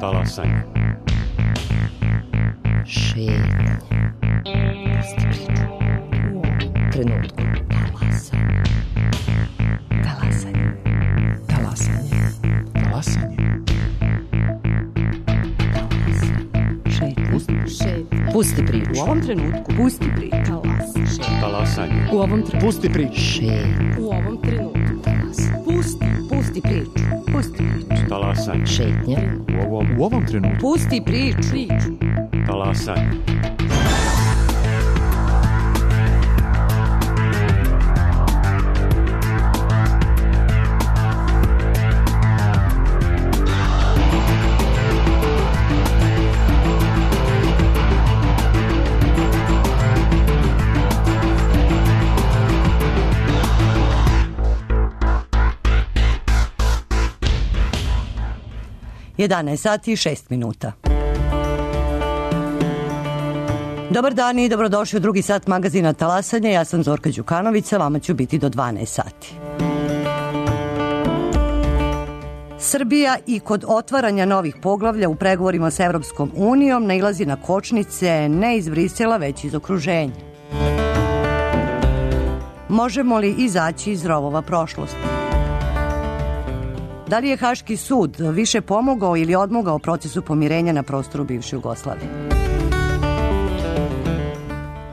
Talasanje. Šetnje. Pusti priču. U ovom trenutku. Talasanje. Talasanje. Talasanje. Talasanje. Pusti priču. U ovom trenutku. Pusti priču. Talasanje. U ovom trenutku. Pusti priču. Šetnje. U ovom trenutku. Pusti priču. Pusti priču. Talasanje. Šetnje. U ovom trenutku. Pusti priču. Talasanje. Sati i 6 minuta. Dobar dan i dobrodošli u drugi sat magazina Talasanje. Ja sam Zorka Đukanović, vama ću biti do 12 sati. Srbija i kod otvaranja novih poglavlja u pregovorima sa Evropskom unijom nailazi na kočnice ne iz Brisela, već iz okruženja. Možemo li izaći iz rovova prošlosti? Da li je Haški sud više pomogao ili odmogao procesu pomirenja na prostoru bivše Jugoslavije?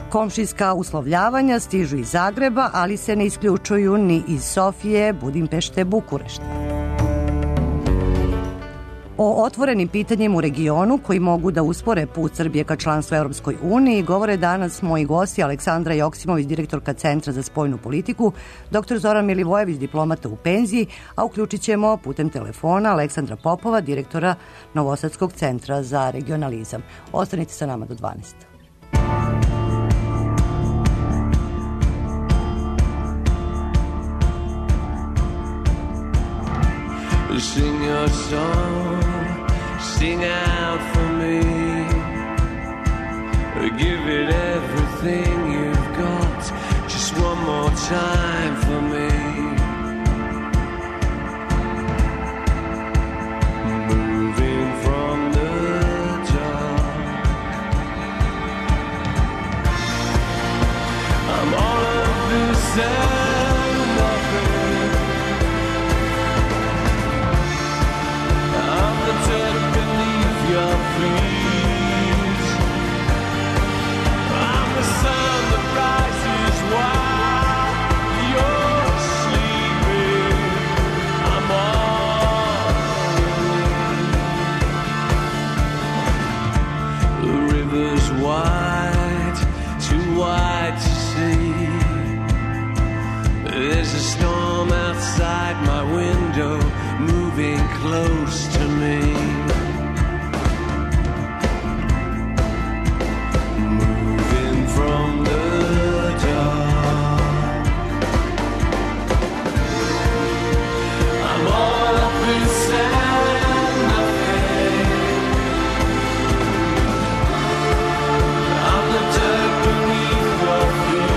Komšijska uslovljavanja stižu iz Zagreba, ali se ne isključuju ni iz Sofije, Budimpešte, Bukurešta. O otvorenim pitanjima u regionu koji mogu da uspore put Srbije ka članstvu Evropskoj uniji govore danas moji gosti Aleksandra Joksimović, direktorka Centra za spoljnu politiku, dr. Zoran Milivojević, diplomata u penziji, a uključit ćemo putem telefona Aleksandra Popova, direktora Novosadskog centra za regionalizam. Ostanite sa nama do 12. Sing your song, sing out for me. Give it everything you've got, just one more time for me. Moving from the dark, I'm all of this and nothing. I'm the dirt beneath your feet. I'm the sun that rises while you're sleeping. I'm all the river's wide, too wide to see. There's a storm outside my window, moving close to me. Moving from the dark, I'm all up inside nothing. I'm the dirt beneath your feet.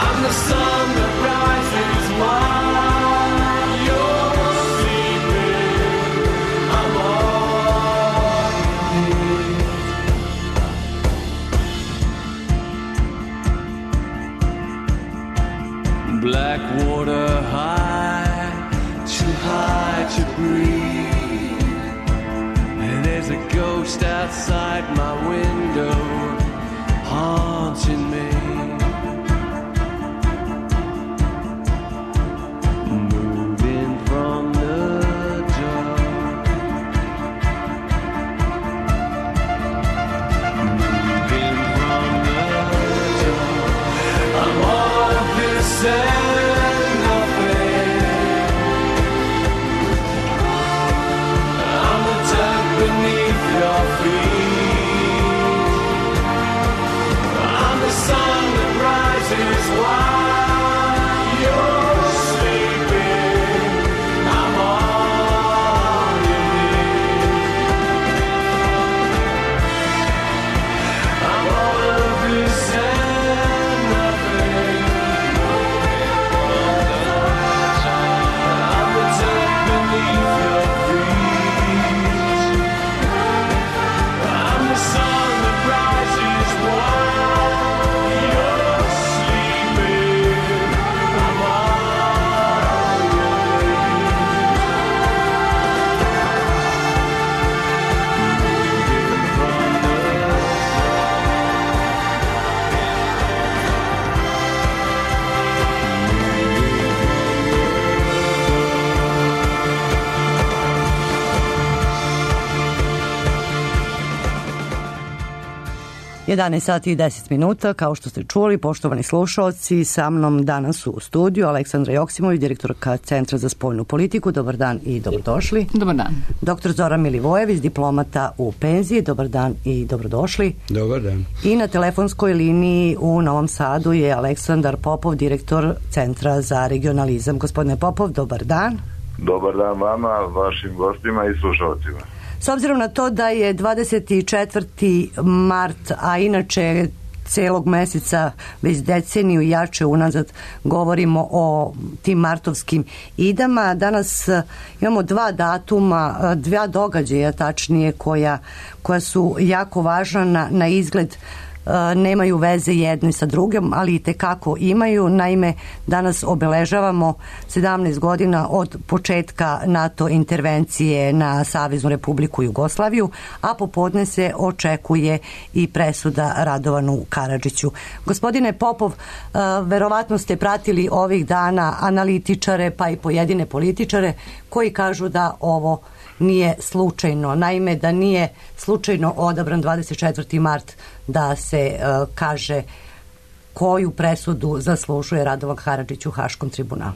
I'm the sun that rises while you're sleeping. I'm all you need. Black water too high to breathe. And there's a ghost outside my window, haunting me. Beneath your feet, I'm the 11 sati i 10 minuta, kao što ste čuli, poštovani slušalci, sa mnom danas u studiju Aleksandra Joksimović, direktorka Centra za spoljnu politiku. Dobar dan i dobrodošli. Dobar dan. Dr. Zoran Milivojević, diplomata u penziji. Dobar dan i dobrodošli. Dobar dan. I na telefonskoj liniji u Novom Sadu je Aleksandar Popov, direktor Centra za regionalizam. Gospodine Popov, dobar dan. Dobar dan vama, vašim gostima i slušalcima. S obzirom na to da je 24. mart, a inače celog meseca, već deceniju jače unazad govorimo o tim martovskim idama. Danas imamo dva datuma, dva događaja tačnije koja su jako važna na izgled, nemaju veze jedno sa drugim, ali i tekako imaju. Naime, danas obeležavamo 17 godina od početka NATO intervencije na Saveznu Republiku Jugoslaviju, a popodne se očekuje i presuda Radovanu Karadžiću. Gospodine Popov, verovatno ste pratili ovih dana analitičare pa i pojedine političare koji kažu da ovo nije slučajno. Naime, da nije slučajno odabran 24. mart da se kaže koju presudu zaslužuje Radovan Karadžić u Haškom tribunalu.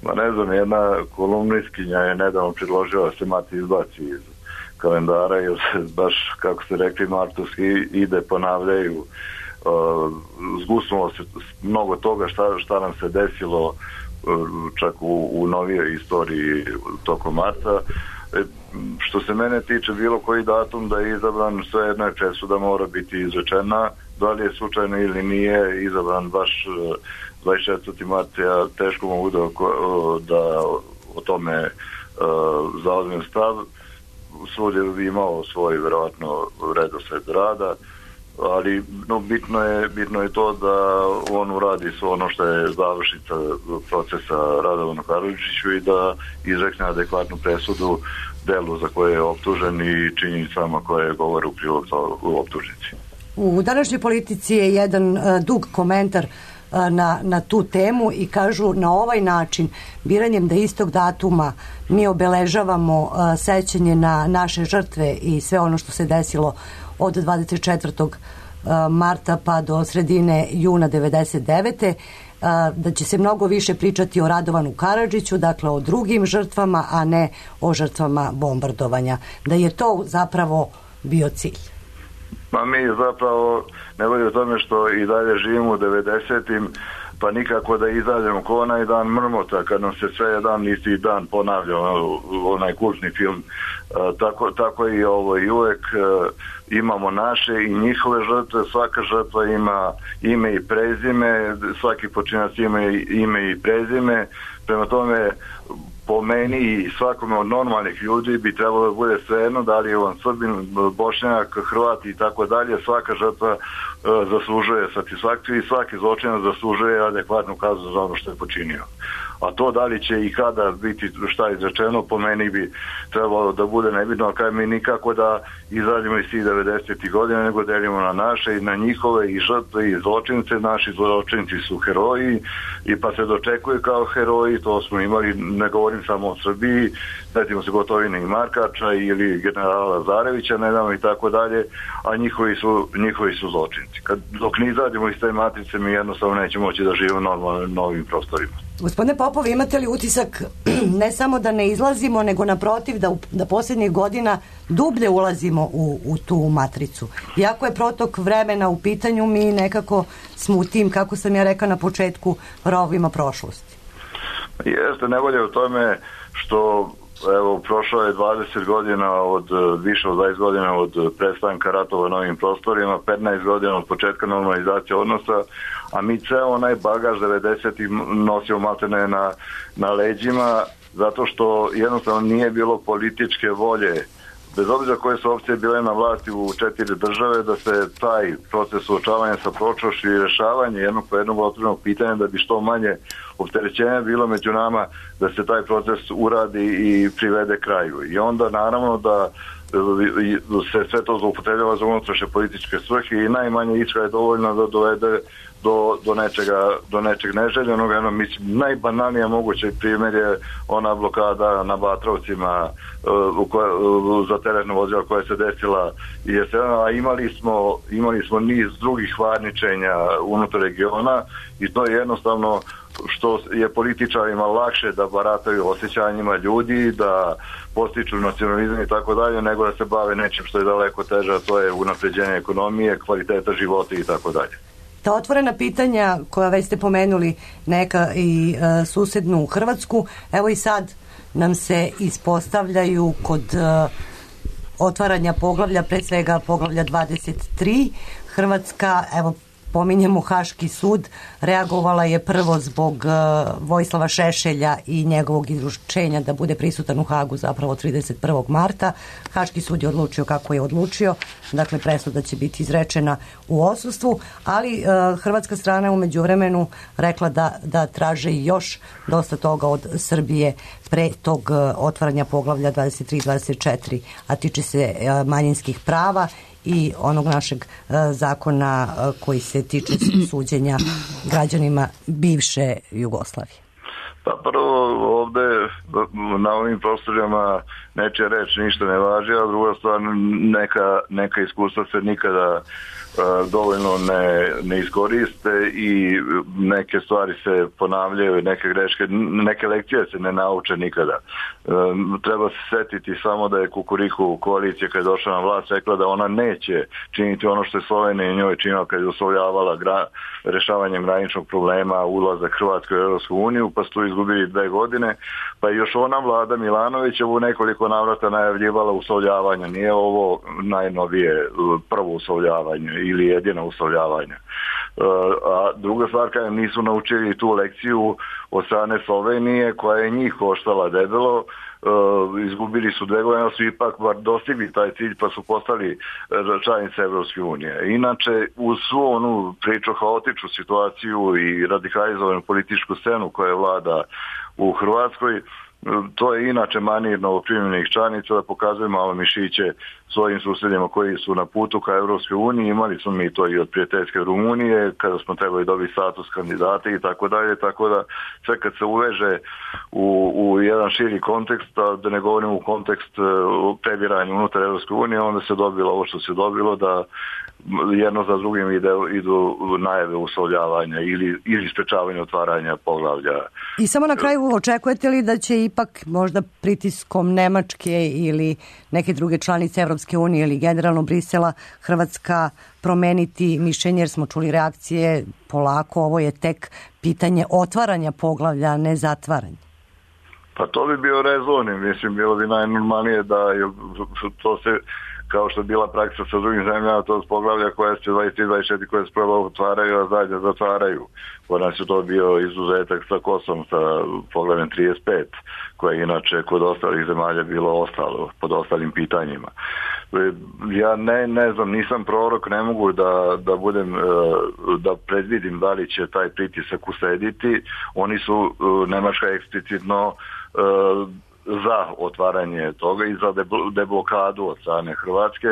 Ma ne znam, jedna kolumnistkinja je nedavno predložila da se mart izbaci iz kalendara, jer se baš, kako ste rekli, martovski ide ponavljaju. Zgusnulo se mnogo toga šta nam se desilo čak u novijoj istoriji tokom marta. Što se mene tiče, bilo koji datum da je izabran, sve jedna presuda mora biti izrečena. Da li je slučajno ili nije izabran baš 24. marta, ja teško mogu da o tome zauzmem stav. Svud je imao svoj verovatno redosled rada, ali bitno je to da on uradi sve ono što je završnica procesa Radovanu Karadžiću i da izrekne adekvatnu presudu delu za koje je optužen i činjenicama koje govore u prilog optužnici. U današnjoj politici je jedan dug komentar na tu temu i kažu na ovaj način, biranjem da istog datuma mi obeležavamo sećanje na naše žrtve i sve ono što se desilo od 24. marta pa do sredine juna 99. Da će se mnogo više pričati o Radovanu Karadžiću, dakle o drugim žrtvama, a ne o žrtvama bombardovanja. Da je to zapravo bio cilj. Ma mi zapravo ne vodi o tome što i dalje živimo u 90-im, pa nikako da izađemo ko onaj dan mrmota kad nam se sve jedan isti dan ponavlja onaj kultni film. Tako i ovo, i uvek imamo naše i njihove žrtve, svaka žrtva ima ime i prezime, svaki počinac ima ime i prezime, prema tome po meni i svakome od normalnih ljudi bi trebalo da bude svejedno da li je on Srbin, Bošnjak, Hrvat i tako dalje. Svaka žrtva zaslužuje satisfakciju i svaki zločinac zaslužuje adekvatnu kaznu za ono što je počinio. A to da li će i kada biti šta izrečeno, po meni bi trebalo da bude nebitno, ali mi nikako da izađemo iz tih 90. godina, nego delimo na naše i na njihove i žrtve i zločince. Naši zločinci su heroji i pa se dočekuju kao heroji, to smo imali, ne govorim samo o Srbiji, setimo se Gotovine i Markača ili generala Lazarevića, nedavno i tako dalje, a njihovi su zločinci. Dok ne izađemo iz te matrice, mi jednostavno nećemo moći da živimo normalno novim prostorima. Gospodine Popov, imate li utisak ne samo da ne izlazimo, nego naprotiv da posljednjih godina dublje ulazimo u tu matricu? Iako je protok vremena u pitanju, mi nekako smo u tim, kako sam ja rekao na početku, rovima prošlosti. Jeste, nevolje u tome što evo, prošlo je 20 godina više od 20 godina od prestanka ratova na ovim prostorima, 15 godina od početka normalizacije odnosa, a mi ceo onaj bagaž 90-ih nosimo maltene na leđima, zato što jednostavno nije bilo političke volje, bez obzira koje su opcije bile na vlasti u 4 države, da se taj proces suočavanja sa prošlošću i rešavanje jednog po jednog otvorenog pitanja, da bi što manje opterećenja bilo među nama, da se taj proces uradi i privede kraju. I onda naravno da se sve to zloupotrebljava za unutrašnje političke svrhe i najmanje iskra je dovoljno da dovede do nečeg neželjenog. Mislim, najbanalnije moguće primjer je ona blokada na Batrovcima za teretno vozilo koja se desila a imali smo niz drugih varničenja unutar regiona i to je jednostavno što je političarima lakše da barataju osjećanjima ljudi, da postiču nacionalizam i tako dalje, nego da se bave nečim što je daleko teže, a to je unapređenje ekonomije, kvaliteta života i tako dalje. Ta otvorena pitanja koja već ste pomenuli, neka i susednu Hrvatsku, evo i sad nam se ispostavljaju kod otvaranja poglavlja, pre svega poglavlja 23. Hrvatska, evo pominjemo Haški sud, reagovala je prvo zbog Vojislava Šešelja i njegovog izručenja da bude prisutan u Hagu zapravo 31. marta. Haški sud je odlučio kako je odlučio, dakle presuda će biti izrečena u odsustvu, ali hrvatska strana je u međuvremenu rekla da traže još dosta toga od Srbije pre tog otvaranja poglavlja 23-24, a tiče se manjinskih prava i onog našeg zakona koji se tiče suđenja građanima bivše Jugoslavije. Pa prvo ovde na ovim prostorima nečija reč ništa ne važi, a druga stvar neka iskustva se nikada dovoljno ne iskoriste i neke stvari se ponavljaju, neke greške, neke lekcije se ne nauče nikada. Treba se setiti samo da je Kukuriku koalicija kad je došla na vlast rekla da ona neće činiti ono što je Slovenija njoj činila kad je uslovljavala rešavanjem graničnog problema ulazak Hrvatske u Europsku uniju, pa su tu izgubili 2 godine, pa još ona vlada Milanovića u nekoliko navrata najavljivala uslovljavanje. Nije ovo najnovije prvo uslovljavanje ili jedino uslovljavanje. A druga stvar, kada nisu naučili tu lekciju od strane Slovenije koja je njih koštala debelo, izgubili su 2 godine, su ipak bar dostigli taj cilj pa su postali članice Evropske unije. Inače, uz svu onu priču haotičnu situaciju i radikalizovanu političku scenu koja vlada u Hrvatskoj, to je inače manir novoprimljenih članica da pokazuju malo mišiće svojim susjedima koji su na putu ka Evropskoj uniji. Imali smo mi to i od prijateljske Rumunije kada smo trebali dobiti status kandidata i tako dalje, tako da sve kad se uveže u jedan širi kontekst, da ne govorimo u kontekst previranja unutar Evropske unije, onda se dobilo ovo što se dobilo, da jedno za drugim idu najave uslovljavanja ili sprečavanja otvaranja poglavlja. I samo na kraju, očekujete li da će ipak možda pritiskom Nemačke ili neke druge članice Evropske unije ili generalno Brisela Hrvatska promeniti mišljenje, jer smo čuli reakcije polako, ovo je tek pitanje otvaranja poglavlja, a ne zatvaranja? Pa to bi bio rezon, mislim, bilo bi najnormalnije da to se, kao što je bila praksa sa drugim zemljama, to je poglavlja koja se 23-24 koje se prvo otvaraju, a zadnje zatvaraju. Kod nas je to bio izuzetak sa Kosovom, sa poglavljem 35, koje inače kod ostalih zemalja bilo ostalo, pod ostalim pitanjima. Ja ne znam, nisam prorok, ne mogu da predvidim da li će taj pritisak uslediti. Oni su, Nemačka eksplicitno za otvaranje toga i za deblokadu od strane Hrvatske.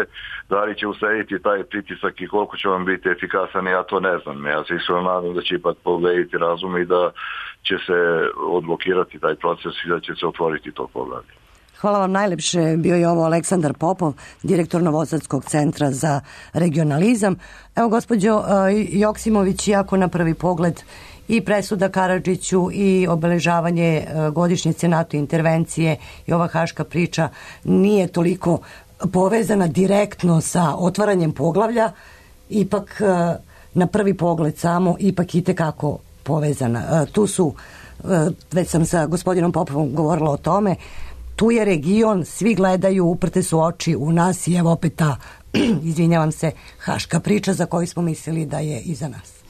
Da li će uslediti taj pritisak i koliko će vam biti efikasan, ja to ne znam. Ja se iskreno nadam da će ipak povlediti razum i da će se odblokirati taj proces i da će se otvoriti to poglavlje. Hvala vam najlepše. Bio je ovo Aleksandar Popov, direktor Novosadskog centra za regionalizam. Evo, gospođo Joksimović, iako na prvi pogled i presuda Karadžiću i obeležavanje godišnjice NATO intervencije i ova haška priča nije toliko povezana direktno sa otvaranjem poglavlja, ipak na prvi pogled samo ipak itekako povezana. Tu su, već sam sa gospodinom Popovom govorila o tome, tu je region, svi gledaju, uprte su oči u nas i evo opet ta, izvinjavam se, haška priča za koju smo mislili da je iza nas.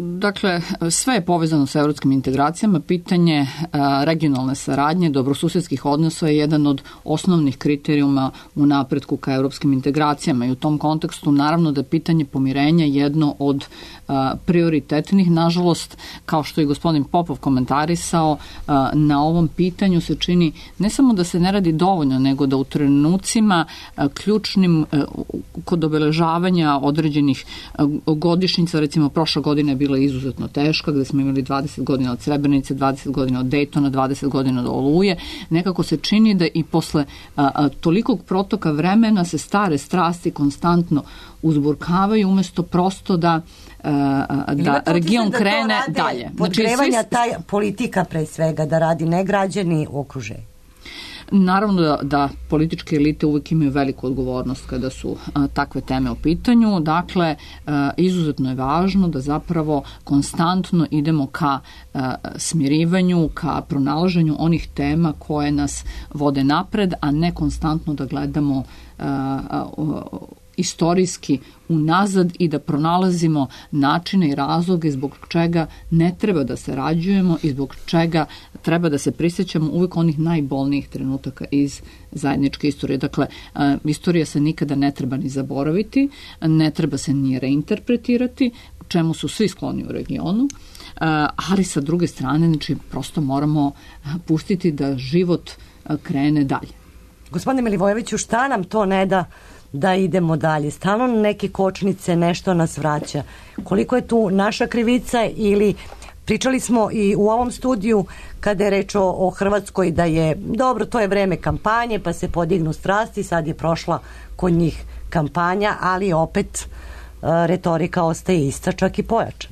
Dakle, sve je povezano sa evropskim integracijama. Pitanje regionalne saradnje, dobrosusedskih odnosa je jedan od osnovnih kriterijuma u napretku ka evropskim integracijama i u tom kontekstu naravno da je pitanje pomirenja jedno od prioritetnih. Nažalost, kao što je gospodin Popov komentarisao, na ovom pitanju se čini ne samo da se ne radi dovoljno, nego da u trenucima ključnim kod obeležavanja određenih godišnjica, recimo prošla godina je bila izuzetno teška, gde smo imali 20 godina od Srebrenice, 20 godina od Dejtona, 20 godina od Oluje, nekako se čini da i posle tolikog protoka vremena se stare strasti konstantno uzburkavaju umesto prosto da region krene dalje. Podgrevanja taj politika pre svega da radi, ne građani u okruženju. Naravno da političke elite uvijek imaju veliku odgovornost kada su takve teme u pitanju. Dakle, izuzetno je važno da zapravo konstantno idemo ka smirivanju, ka pronalaženju onih tema koje nas vode napred, a ne konstantno da gledamo istorijski unazad i da pronalazimo načine i razloge zbog čega ne treba da sarađujemo i zbog čega treba da se prisjećamo uvijek onih najbolnijih trenutaka iz zajedničke istorije. Dakle, istorija se nikada ne treba ni zaboraviti, ne treba se ni reinterpretirati, čemu su svi skloni u regionu, ali sa druge strane, znači, prosto moramo pustiti da život krene dalje. Gospodine Milivojeviću, šta nam to ne da idemo dalje? Stalno neke kočnice, nešto nas vraća. Koliko je tu naša krivica ili pričali smo i u ovom studiju kada je reč o Hrvatskoj da je dobro, to je vreme kampanje pa se podignu strasti, sad je prošla kod njih kampanja, ali opet retorika ostaje ista, čak i pojača.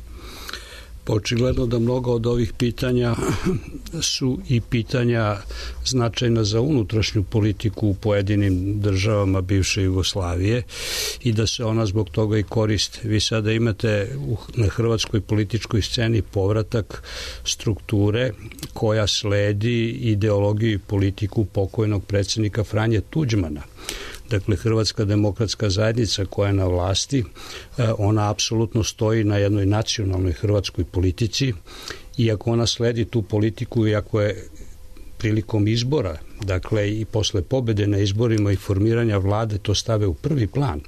Očigledno da mnogo od ovih pitanja su i pitanja značajna za unutrašnju politiku u pojedinim državama bivše Jugoslavije i da se ona zbog toga i koristi. Vi sada imate na hrvatskoj političkoj sceni povratak strukture koja sledi ideologiju i politiku pokojnog predsjednika Franje Tuđmana. Dakle, Hrvatska demokratska zajednica koja je na vlasti, ona apsolutno stoji na jednoj nacionalnoj hrvatskoj politici i ako ona sledi tu politiku i ako je prilikom izbora, dakle i posle pobede na izborima i formiranja vlade to stave u prvi plan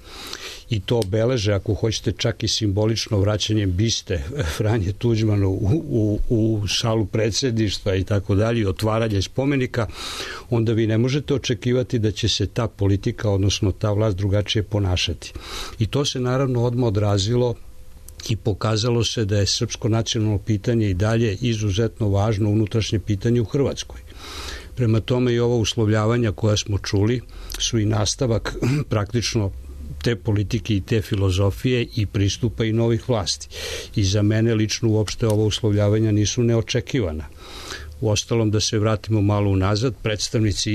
i to obeleže, ako hoćete, čak i simbolično vraćanjem biste Franje Tuđmanu u salu predsjedništva i tako dalje, otvaranje spomenika, onda vi ne možete očekivati da će se ta politika, odnosno ta vlast drugačije ponašati. I to se naravno odmah odrazilo i pokazalo se da je srpsko nacionalno pitanje i dalje izuzetno važno unutrašnje pitanje u Hrvatskoj. Prema tome i ova uslovljavanja koja smo čuli su i nastavak praktično te politike i te filozofije i pristupa i novih vlasti. I za mene lično uopšte ova uslovljavanja nisu neočekivana. Uostalom, da se vratimo malo unazad, predstavnici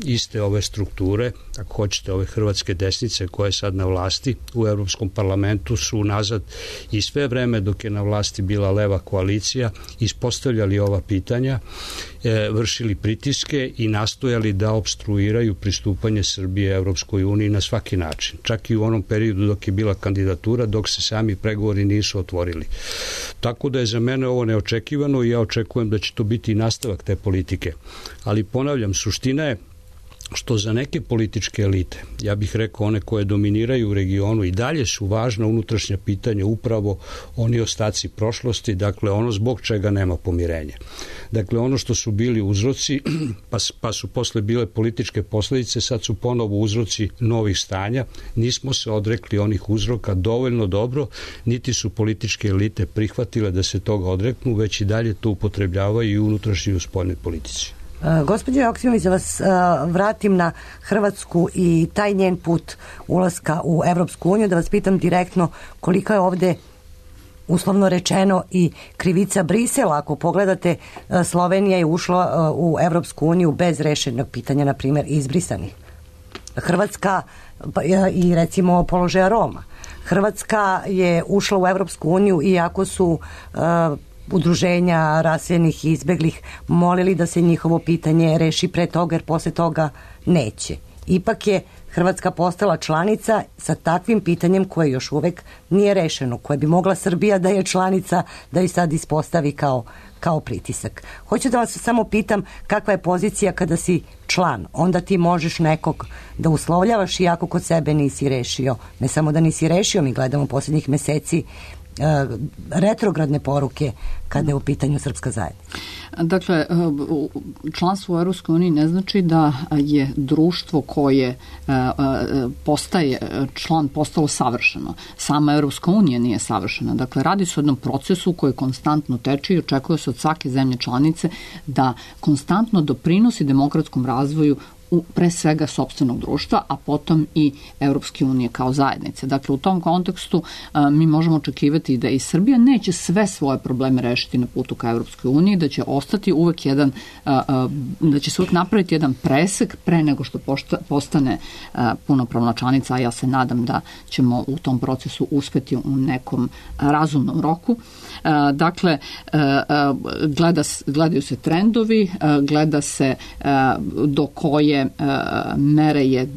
iste ove strukture, ako hoćete ove hrvatske desnice koja je sad na vlasti u Evropskom parlamentu, su unazad i sve vreme dok je na vlasti bila leva koalicija ispostavljali ova pitanja, vršili pritiske i nastojali da opstruiraju pristupanje Srbije Evropskoj uniji na svaki način. Čak i u onom periodu dok je bila kandidatura, dok se sami pregovori nisu otvorili. Tako da je za mene ovo neočekivano i ja očekujem da će to biti i nastavak te politike. Ali ponavljam, suština je što za neke političke elite, ja bih rekao one koje dominiraju u regionu, i dalje su važna unutrašnja pitanja, upravo oni ostaci prošlosti, dakle ono zbog čega nema pomirenja. Dakle, ono što su bili uzroci, pa su posle bile političke posledice, sad su ponovo uzroci novih stanja. Nismo se odrekli onih uzroka dovoljno dobro, niti su političke elite prihvatile da se toga odreknu, već i dalje to upotrebljavaju i unutrašnji i u spoljnoj politici. Gospođo Joksimović, da vas vratim na Hrvatsku i taj njen put ulaska u Evropsku uniju, da vas pitam direktno koliko je ovde uslovno rečeno i krivica Brisela. Ako pogledate, Slovenija je ušla u Evropsku uniju bez rešenog pitanja, na primjer, izbrisanih. Hrvatska i recimo položaja Roma. Hrvatska je ušla u Evropsku uniju iako su udruženja raseljenih i izbeglih molili da se njihovo pitanje reši pre toga, jer posle toga neće. Ipak je Hrvatska postala članica sa takvim pitanjem koje još uvek nije rešeno, koje bi mogla Srbija da je članica, da i sad ispostavi kao pritisak. Hoću da vas samo pitam kakva je pozicija kada si član, onda ti možeš nekog da uslovljavaš iako kod sebe nisi rešio. Ne samo da nisi rešio, mi gledamo posljednjih meseci retrogradne poruke kada je u pitanju srpska zajednica. Dakle, članstvo u EU ne znači da je društvo koje postaje član postalo savršeno. Sama EU nije savršena. Dakle, radi se o jednom procesu koji konstantno teče i očekuje se od svake zemlje članice da konstantno doprinosi demokratskom razvoju pre svega sopstvenog društva, a potom i Evropske unije kao zajednice. Dakle, u tom kontekstu mi možemo očekivati da i Srbija neće sve svoje probleme rešiti na putu ka Evropskoj uniji, da će ostati uvek da će se uvek napraviti jedan presek pre nego što postane punopravna članica, a ja se nadam da ćemo u tom procesu uspeti u nekom razumnom roku. Dakle, gledaju se trendovi, gleda se do koje mere je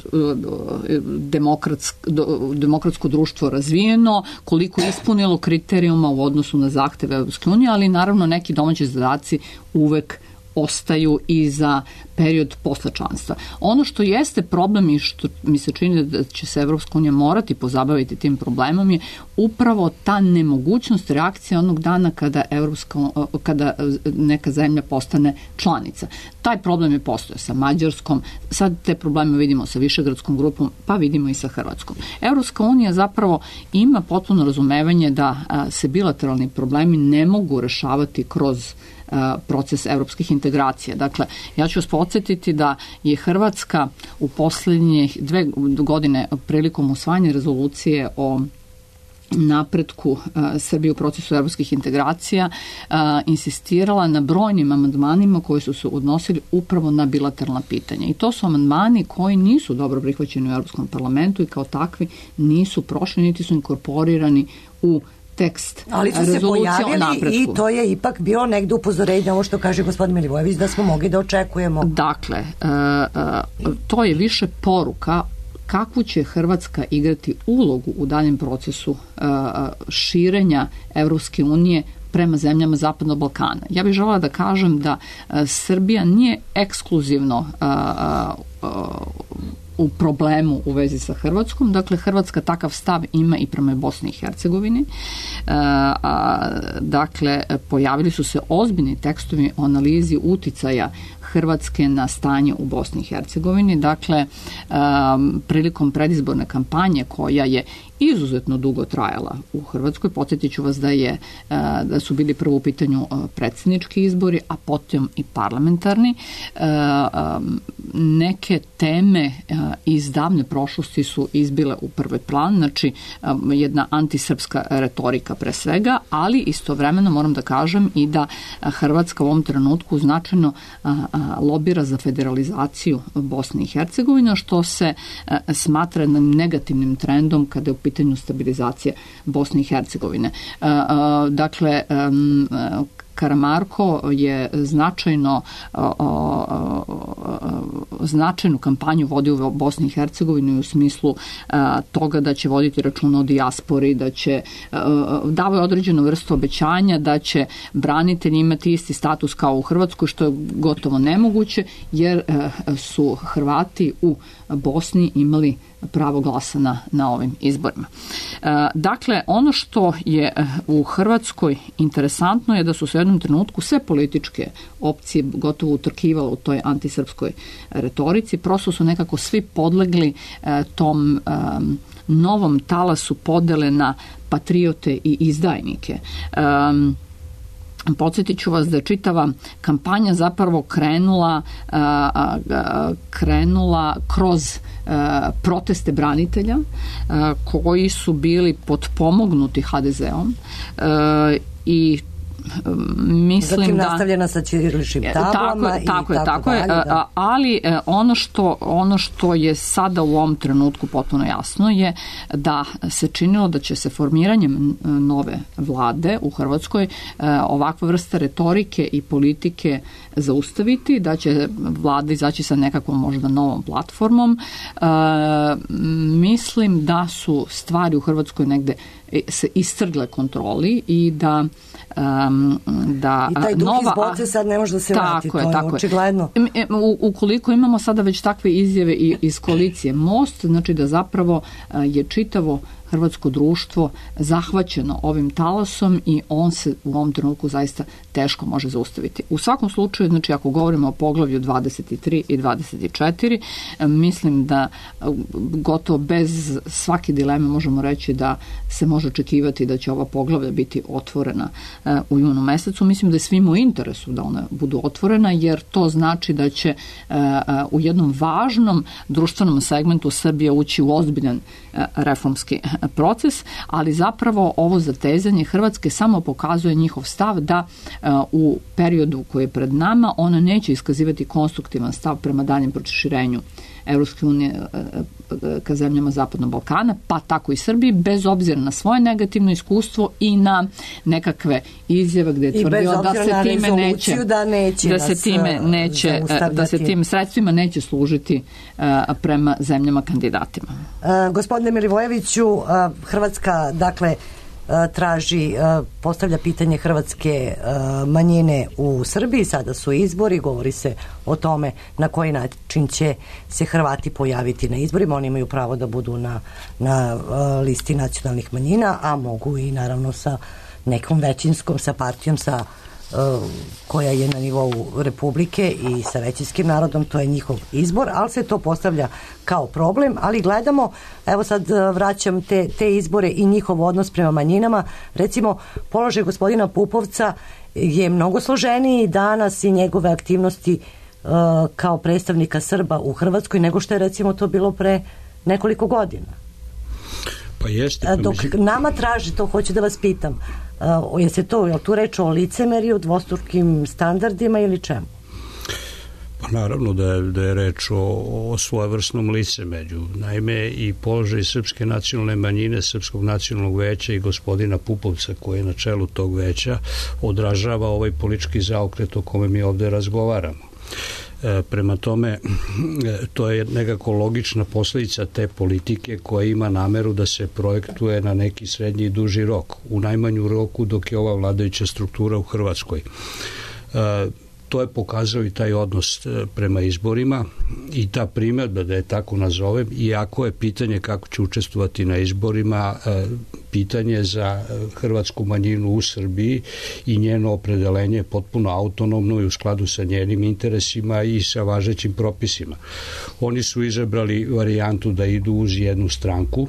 demokratsko društvo razvijeno, koliko je ispunilo kriterijuma u odnosu na zahteve Evropske unije, ali naravno neki domaći zadaci uvek ostaju i za period posle članstva. Ono što jeste problem i što mi se čini da će se Evropska unija morati pozabaviti tim problemom je upravo ta nemogućnost reakcije onog dana kada neka zemlja postane članica. Taj problem je postojao sa Mađarskom, sad te probleme vidimo sa Višegradskom grupom, pa vidimo i sa Hrvatskom. Evropska unija zapravo ima potpuno razumevanje da se bilateralni problemi ne mogu rešavati kroz proces evropskih integracija. Dakle, ja ću vas podsjetiti da je Hrvatska u poslednjih 2 godine prilikom usvajanja rezolucije o napretku Srbije u procesu evropskih integracija insistirala na brojnim amandmanima koji su se odnosili upravo na bilateralna pitanja. I to su amandmani koji nisu dobro prihvaćeni u Evropskom parlamentu i kao takvi nisu prošli, niti su inkorporirani u tekst rezolucije o napretku. Ali su se pojavili i to je ipak bilo negde upozorenje na ovo što kaže gospodin Milivojević da smo mogli da očekujemo. Dakle, to je više poruka kakvu će Hrvatska igrati ulogu u daljem procesu širenja Evropske unije prema zemljama Zapadnog Balkana. Ja bih želela da kažem da Srbija nije ekskluzivno u problemu u vezi sa Hrvatskom. Dakle, Hrvatska takav stav ima i prema Bosni i Hercegovini. Dakle, pojavili su se ozbiljni tekstovi o analizi uticaja Hrvatske na stanje u Bosni i Hercegovini. Dakle, prilikom predizborne kampanje koja je izuzetno dugo trajala u Hrvatskoj, podsjetit ću vas da su bili prvo u pitanju predsjednički izbori, a potom i parlamentarni. Neke teme iz davne prošlosti su izbile u prvi plan, znači jedna antisrpska retorika pre svega, ali istovremeno moram da kažem i da Hrvatska u ovom trenutku značajno lobira za federalizaciju Bosne i Hercegovine, što se smatra negativnim trendom kada je u pitanju stabilizacije Bosne i Hercegovine. Dakle, Karamarko je značajnu kampanju vodio u Bosni i Hercegovini u smislu toga da će voditi računa o dijaspori, da će davati određenu vrstu obećanja, da će branitelji imati isti status kao u Hrvatskoj, što je gotovo nemoguće, jer su Hrvati u Bosni imali pravo glasa na ovim izborima. Dakle, ono što je u Hrvatskoj interesantno je da su se u jednom trenutku sve političke opcije gotovo utrkivale u toj antisrpskoj retorici. Prosto su nekako svi podlegli tom novom talasu podele na patriote i izdajnike. Podsjetit ću vas da je čitava kampanja zapravo krenula kroz proteste branitelja koji su bili potpomognuti HDZ-om i mislim zatim da... nastavljena sa ćiriličnim tablama tako je, da. Ali ono što je sada u ovom trenutku potpuno jasno je da se činilo da će se formiranjem nove vlade u Hrvatskoj ovakva vrsta retorike i politike zaustaviti, da će vlada izaći sa nekakvom možda novom platformom. Mislim da su stvari u Hrvatskoj negde se istrgle kontroli i da i taj duh iz boce sad ne može da se vrati, to je očigledno. Ukoliko imamo sada već takve izjave iz koalicije Most, znači da zapravo je čitavo hrvatsko društvo zahvaćeno ovim talasom i on se u ovom trenutku zaista teško može zaustaviti. U svakom slučaju, znači ako govorimo o poglavlju 23 i 24, mislim da gotovo bez svake dileme možemo reći da se može očekivati da će ova poglavlja biti otvorena u junu mesecu. Mislim da je svima u interesu da ona budu otvorena, jer to znači da će u jednom važnom društvenom segmentu Srbija ući u ozbiljan reformski proces, ali zapravo ovo zatezanje Hrvatske samo pokazuje njihov stav da u periodu koji je pred nama ona neće iskazivati konstruktivan stav prema daljem proširenju Evropske unije ka zemljama Zapadnog Balkana, pa tako i Srbiji, bez obzira na svoje negativno iskustvo i na nekakve izjave gde je tvrdio da se tim sredstvima neće služiti prema zemljama kandidatima. Gospodine Milivojeviću, Hrvatska, dakle, traži, postavlja pitanje hrvatske manjine u Srbiji, sada su izbori, govori se o tome na koji način će se Hrvati pojaviti na izborima, oni imaju pravo da budu na listi nacionalnih manjina, a mogu i naravno sa nekom većinskom, sa partijom, koja je na nivou Republike i sa većinskim narodom, to je njihov izbor, ali se to postavlja kao problem, ali gledamo, evo sad vraćam te izbore i njihov odnos prema manjinama, recimo položaj gospodina Pupovca je mnogo složeniji danas i njegove aktivnosti kao predstavnika Srba u Hrvatskoj nego što je recimo to bilo pre nekoliko godina. Pa jeste. Dok nama traži, to hoću da vas pitam, je tu reč o licemeriju, dvostrukim standardima ili čemu? Pa naravno da je reč o svojevrsnom licemerju. Naime, i položaj srpske nacionalne manjine, Srpskog nacionalnog veća i gospodina Pupovca koji je na čelu tog veća odražava ovaj politički zaokret o kome mi ovde razgovaramo. Prema tome, to je nekako logična posledica te politike koja ima nameru da se projektuje na neki srednji i duži rok, u najmanju roku dok je ova vladajuća struktura u Hrvatskoj. To je pokazao i taj odnos prema izborima i ta primjedba, da je tako nazovem, iako je pitanje kako će učestvovati na izborima pitanje za hrvatsku manjinu u Srbiji i njeno opredelenje je potpuno autonomno i u skladu sa njenim interesima i sa važećim propisima. Oni su izabrali varijantu da idu uz jednu stranku.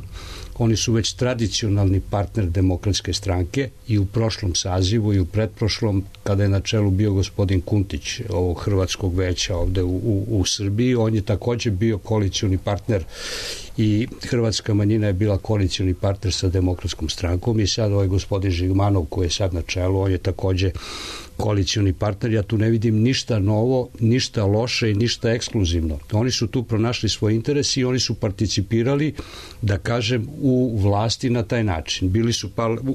Oni su već tradicionalni partner Demokratske stranke i u prošlom sazivu i u pretprošlom, kada je na čelu bio gospodin Kuntić ovog hrvatskog veća ovde u Srbiji, on je takođe bio koalicioni partner i hrvatska manjina je bila koalicioni partner sa Demokratskom strankom i sad ovaj gospodin Žigmanov koji je sad na čelu, on je takođe koalicioni partner. Ja tu ne vidim ništa novo, ništa loše i ništa ekskluzivno. Oni su tu pronašli svoj interes i oni su participirali, da kažem, u vlasti na taj način. Bili su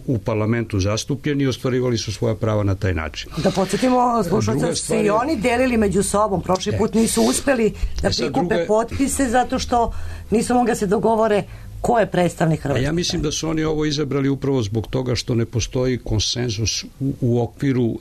u parlamentu zastupljeni i ostvarivali su svoja prava na taj način. Da podsjetimo, slušalca, su i oni delili među sobom. Prošli put nisu uspeli da prikupe potpise zato što nisu mogli da se dogovore ko je predstavnik Hrvatske. Ja mislim da su oni ovo izabrali upravo zbog toga što ne postoji konsenzus u okviru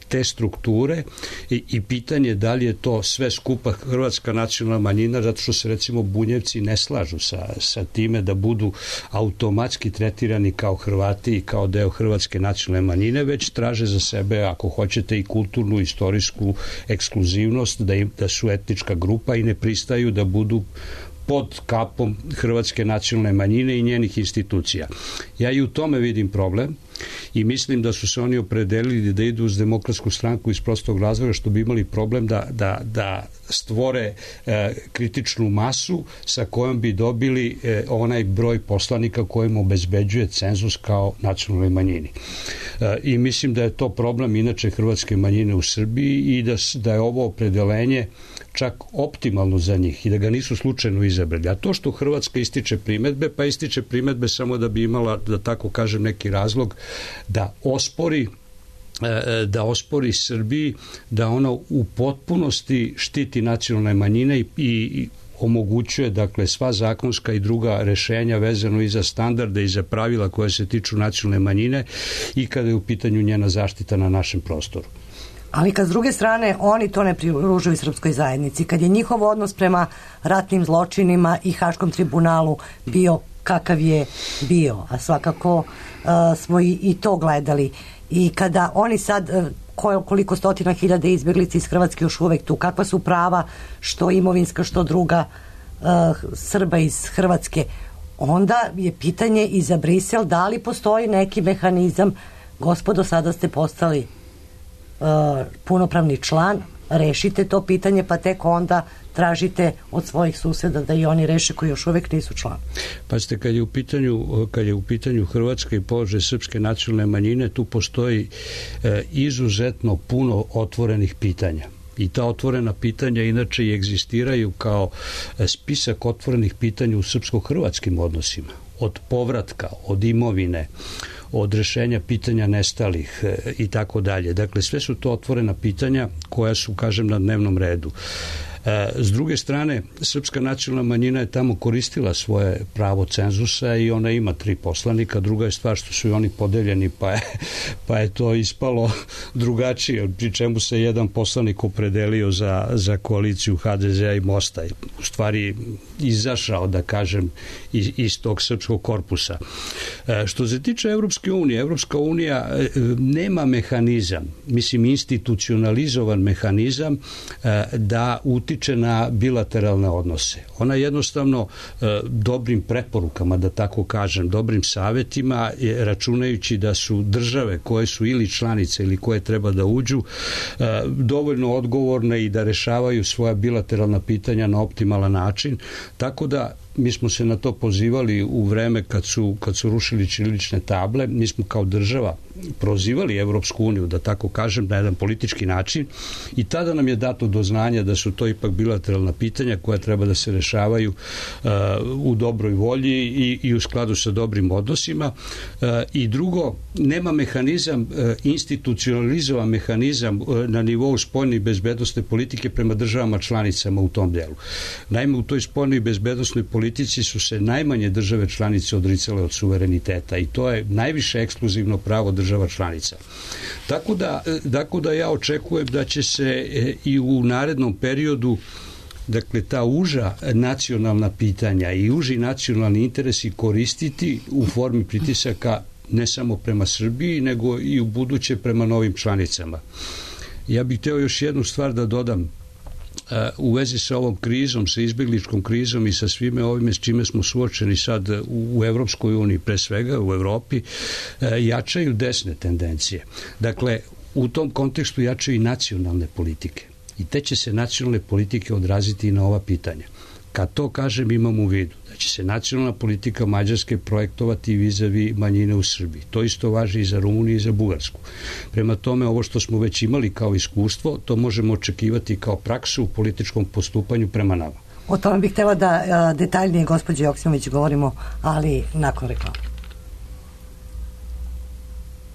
te strukture i pitanje da li je to sve skupa hrvatska nacionalna manjina, zato što se recimo Bunjevci ne slažu sa time da budu automatski tretirani kao Hrvati i kao deo hrvatske nacionalne manjine, već traže za sebe, ako hoćete, i kulturnu, istorijsku ekskluzivnost, da su etnička grupa i ne pristaju da budu pod kapom hrvatske nacionalne manjine i njenih institucija. Ja i u tome vidim problem i mislim da su se oni opredelili da idu uz Demokratsku stranku iz prostog razloga što bi imali problem da stvore kritičnu masu sa kojom bi dobili onaj broj poslanika kojim obezbeđuje cenzus kao nacionalnoj manjini. I mislim da je to problem inače hrvatske manjine u Srbiji i da je ovo opredelenje čak optimalno za njih i da ga nisu slučajno izabrali. A to što Hrvatska ističe primetbe, pa ističe primetbe samo da bi imala, da tako kažem, neki razlog da ospori Srbiji da ona u potpunosti štiti nacionalne manjine i omogućuje, dakle, sva zakonska i druga rešenja vezano i za standarde i za pravila koje se tiču nacionalne manjine i kada je u pitanju njena zaštita na našem prostoru. Ali kad s druge strane oni to ne pridružuju srpskoj zajednici, kad je njihov odnos prema ratnim zločinima i Haškom tribunalu bio kakav je bio, a svakako smo i to gledali, i kada oni sad koliko stotina hiljada izbjeglica iz Hrvatske još uvek tu, kakva su prava što imovinska što druga Srba iz Hrvatske, onda je pitanje i za Brisel da li postoji neki mehanizam, gospodo, sada ste postali punopravni član, rešite to pitanje, pa tek onda tražite od svojih suseda da i oni reše koji još uvek nisu član. Pazite, kad je u pitanju Hrvatska i položaj srpske nacionalne manjine, tu postoji izuzetno puno otvorenih pitanja. I ta otvorena pitanja inače i egzistiraju kao spisak otvorenih pitanja u srpsko-hrvatskim odnosima. Od povratka, od imovine, od rešenja pitanja nestalih i tako dalje. Dakle, sve su to otvorena pitanja koja su, kažem, na dnevnom redu. S druge strane, srpska nacionalna manjina je tamo koristila svoje pravo cenzusa i ona ima 3 poslanika. Druga je stvar što su i oni podeljeni, pa je to ispalo drugačije, pri čemu se jedan poslanik opredelio za koaliciju HDZ-a i Mosta. U stvari izašao, da kažem, iz tog srpskog korpusa. Što se tiče Evropske unije, Evropska unija nema mehanizam, mislim institucionalizovan mehanizam da utiče na bilateralne odnose. Ona jednostavno dobrim preporukama, da tako kažem, dobrim savetima, računajući da su države koje su ili članice ili koje treba da uđu dovoljno odgovorne i da rešavaju svoja bilateralna pitanja na optimalan način, tako da mi smo se na to pozivali u vreme kad su rušili ćirilične table. Mi smo kao država prozivali Evropsku uniju, da tako kažem, na jedan politički način i tada nam je dato do znanja da su to ipak bilateralna pitanja koja treba da se rešavaju u dobroj volji i u skladu sa dobrim odnosima. I drugo, nema mehanizam, institucionalizovan mehanizam na nivou spoljne i bezbednosne politike prema državama članicama u tom delu. Naime, u toj spoljnoj i bezbednosnoj politici su se najmanje države članice odricale od suvereniteta i to je najviše ekskluzivno pravo država članica. Tako da ja očekujem da će se i u narednom periodu, dakle, ta uža nacionalna pitanja i uži nacionalni interesi koristiti u formi pritisaka ne samo prema Srbiji, nego i u buduće prema novim članicama. Ja bih hteo još jednu stvar da dodam u vezi sa ovom krizom, sa izbegličkom krizom i sa svime ovime s čime smo suočeni sad u Evropskoj uniji, pre svega u Evropi, jačaju desne tendencije. Dakle, u tom kontekstu jačaju i nacionalne politike. I te će se nacionalne politike odraziti i na ova pitanja. Kad to kažem, imam u vidu da će se nacionalna politika Mađarske projektovati vizavi manjine u Srbiji. To isto važi i za Rumuniju i za Bugarsku. Prema tome, ovo što smo već imali kao iskustvo, to možemo očekivati kao praksu u političkom postupanju prema nama. O tome bih htjela da detaljnije, gospođo Joksimović, govorimo, ali nakon reklama.